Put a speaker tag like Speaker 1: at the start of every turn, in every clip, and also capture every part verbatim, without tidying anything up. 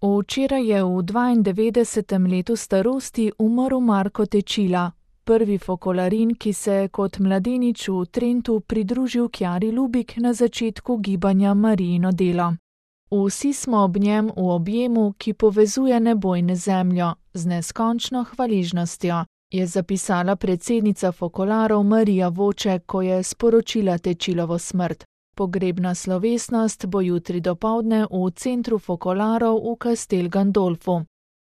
Speaker 1: Včeraj je v dvaindevetdesetem letu starosti umrl Marko Tečila, prvi fokolarin, ki se je kot mladenič v Trentu pridružil Kjari Lubik na začetku gibanja Marijino delo. Vsi smo ob njem v objemu, ki povezuje nebo in zemljo, z neskončno hvaležnostjo, je zapisala predsednica fokolarov Marija Voče, ko je sporočila Tečilovo smrt. Pogrebna slovesnost bo jutri dopoldne v centru fokolarov v Castel Gandolfu.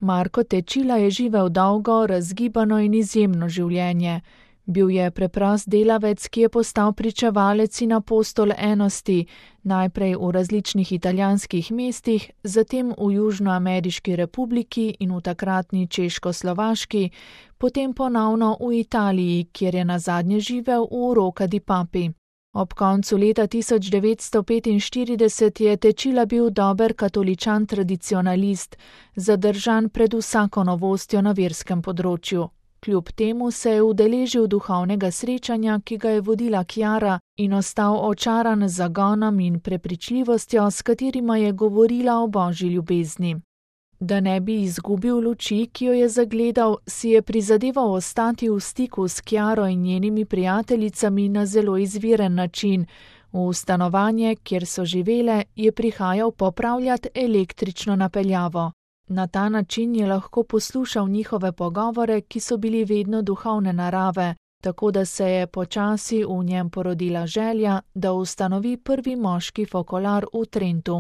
Speaker 1: Marko Tečila je živel dolgo, razgibano in izjemno življenje. Bil je preprost delavec, ki je postal pričevalec in apostol enosti, najprej v različnih italijanskih mestih, zatem v Južnoameriški republiki in v takratni Češko-Slovaški, potem ponovno v Italiji, kjer je nazadnje živel v Rocca di Papi. Ob koncu leta tisoč devetsto petinštirideset je Tečila bil dober katoličan tradicionalist, zadržan pred vsako novostjo na verskem področju. Kljub temu se je udeležil duhovnega srečanja, ki ga je vodila Kjara, in ostal očaran z zagonom in prepričljivostjo, s katerima je govorila o božji ljubezni. Da ne bi izgubil luči, ki jo je zagledal, si je prizadeval ostati v stiku s Kjaro in njenimi prijateljicami na zelo izviren način. V stanovanje, kjer so živele, je prihajal popravljati električno napeljavo. Na ta način je lahko poslušal njihove pogovore, ki so bili vedno duhovne narave, tako da se je počasi v njem porodila želja, da ustanovi prvi moški fokolar v Trentu.